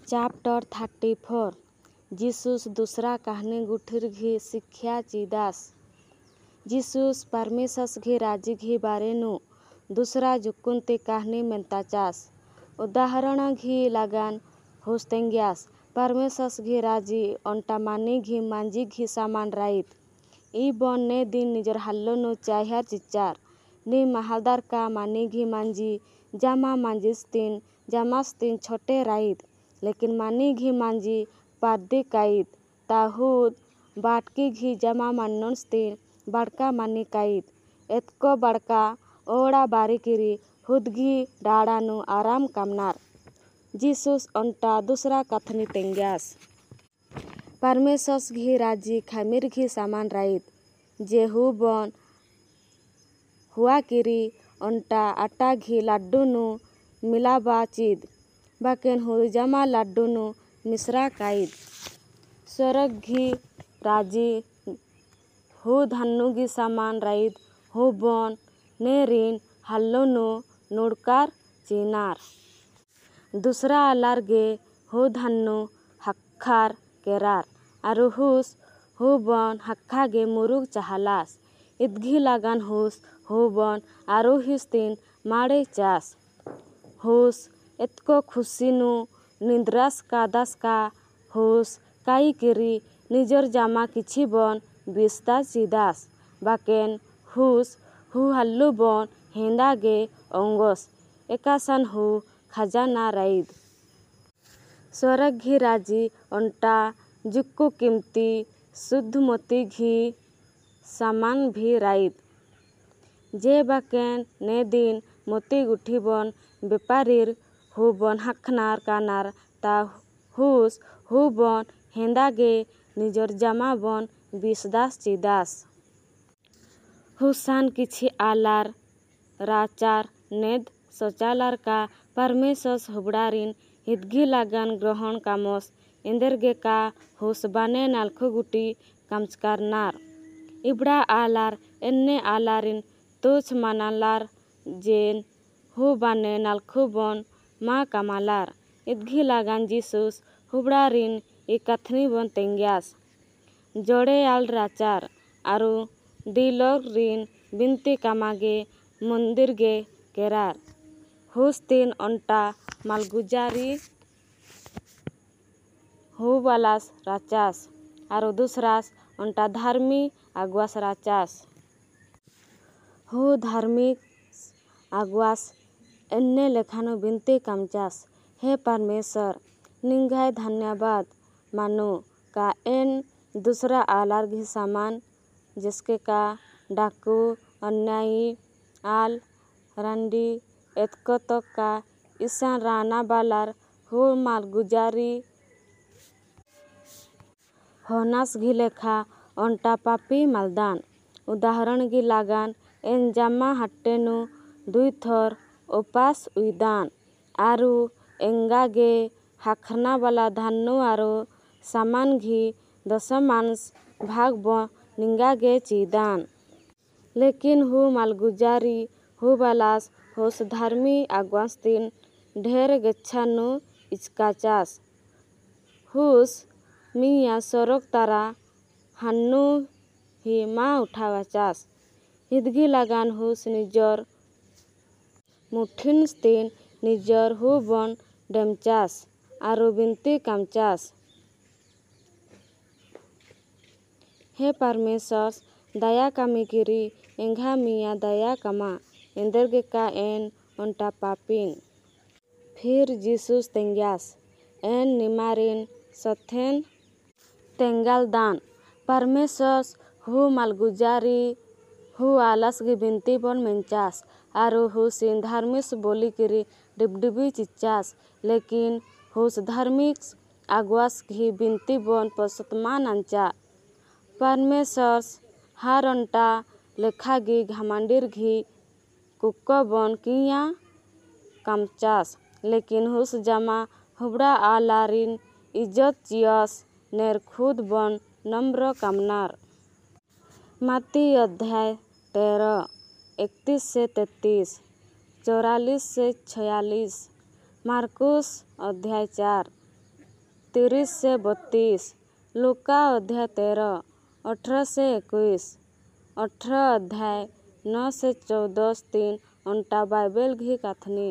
Chapter 34 जीसुस दूसरा कहानी गुठीर शिक्षा चीदास। जीसुस परमेश्वर घी राजी घी बारेनु दूसरा जुकुनती कहानी मेंताचास। उदाहरण घी लगान हुस तेंग्यास परमेश्वर घी राजी ओंटा मानी घी मांझी घी सामान राइद। ई बन ने दिन निजर हाल्लोनु चाह्यार चिचार। नी माहलदार का मानी घी मांझी जामा मांझीस्तीन जामास्तीन छोटे राइद। लेकिन मानी घी मांझी पारदी काइद ता हुद बाटकी घी जामा मान्नोस्तीन बाड़का मानी काइद। एतको बाड़का ओड़ा बारीकिरी हुदघी डाडानु आराम कामनार। जीसुस ओंटा दूसरा कथनी तेंग्यास। परमेश्वर घी राजी खामीर घी सामान राइद। जे हु बन हुआकिरी ओंटा आटा घी लाड्डूनु मिलाबा चीद। बाकेन हु जामा लाड्डूनु मिश्रा काइद। स्वर्ग घी राजी हु धान्नु घी सामान राइद हु बन ने रिन हाल्लोनु नुडकार चीनार। दूसरा आलार गे हु धान्नु हक्खार केरार आरु हुस हु बन हक्खा गे मुरुग चाहलास। इदघी लगान हुस हु बन आरु हिस्तीन माड़े चास। हुस एतको खुशीनु निद्रास कादास का हुस काई किरी निजर जामा किछि बन बिस्ता चीदास। बाकेन हुस हु हल्लु बन हेंदा गे ओंगोस एकासान हु खजाना राइद। स्वर्ग घी राजी ओंटा जुक्कु कीमती शुद्ध मोती घी सामान भी राइद। जे बाकेन ने दिन मोती गुठी बन बेपारीर हु बन हाखनार कानार ता हुस हु बन हेंदा गे निजर जामा बन बिसदास चीदास। हुसान किछि आलार राचार नेद सोचालार का परमेश्वर हुबड़ारिन हिदगी लागान ग्रहण कामोस एंदेरगे का हुस बाने नालखु गुटी कामचकारनार। इबड़ा आलार एन्ने आलारिन तुछ मानालार जेन who बाने नालखु बन मा कामालार। इदघी लागान जीसुस हुबड़ारिन ई कथनी बन तेंग्यास। जोड़े आल राचार आरु दिलोर रिन बिनती कामागे मंदिर गे केरार। हुस तीन ओंटा मालगुजारी who बालास राचास आरु दूसरास ओंटा धार्मी अगुआस राचास। हु धार्मिक अगुआस एन्ने लेखानु बिनती कामचास, हे परमेश्वर निंगाय धन्यवाद मानो का एन दूसरा आलार घी सामान जिसके का डाकू अन्यायी आल रंडी एतको तक का ईसान राना बालार who मालगुजारी होनास घी लेखा ओंटा पापी मालदान। उदाहरण गी लागान एन जामा हट्टेनु दुई थर उपास उइदान आरु एंगा गे हाखना वाला धान्नु आरु सामान घी दशमांश भाग ब निंगा गे चीदान। लेकिन who मालगुजारी who बालास होस धार्मी अगुआस्तीन ढेर गेच्छानु इचकाचास। हुस मिया सड़क तारा हान्नु ही मा उठावाचास। हिदगी लगान हुस निजर मुठिनस्तीन निजर who बन डेमचास आरु बिनती कामचास, हे परमेश्वर दया कामी किरी एंघा मिया दया कामा एंदरगे का एन ओंटा पापिन। फिर जीसुस तेंग्यास एन निमारिन सथेन तेंगाल दान। परमेश्वर who मालगुजारी who आलस गी बिनती बन मेंचास आरु हुसिन धार्मिक बोली किरी डिबडिबी चिच्चास। लेकिन हुस धार्मिक अगुआस घी बिनती बन पसतमान अंचा। परमेश्वर हार ओंटा लेखा गी घामांडीर घी कुक्को बन किया कामचास। लेकिन हुस जामा हुबड़ा आलारिन इज्जत चियस नेर खुद बन नम्र कामनार। माती अध्याय 13 31 से 33 44 से 46 मार्कुस अध्याय 4 30 से 32, ଲୂକା ଅଧ୍ୟାୟ 13, 18 ସେ 21, 18 ଅଧ୍ୟାୟ 9 ସେ 14 ତିନ୍ ଅଣ୍ଟା ବାଇବେଲ୍ ଘି କାଥନି।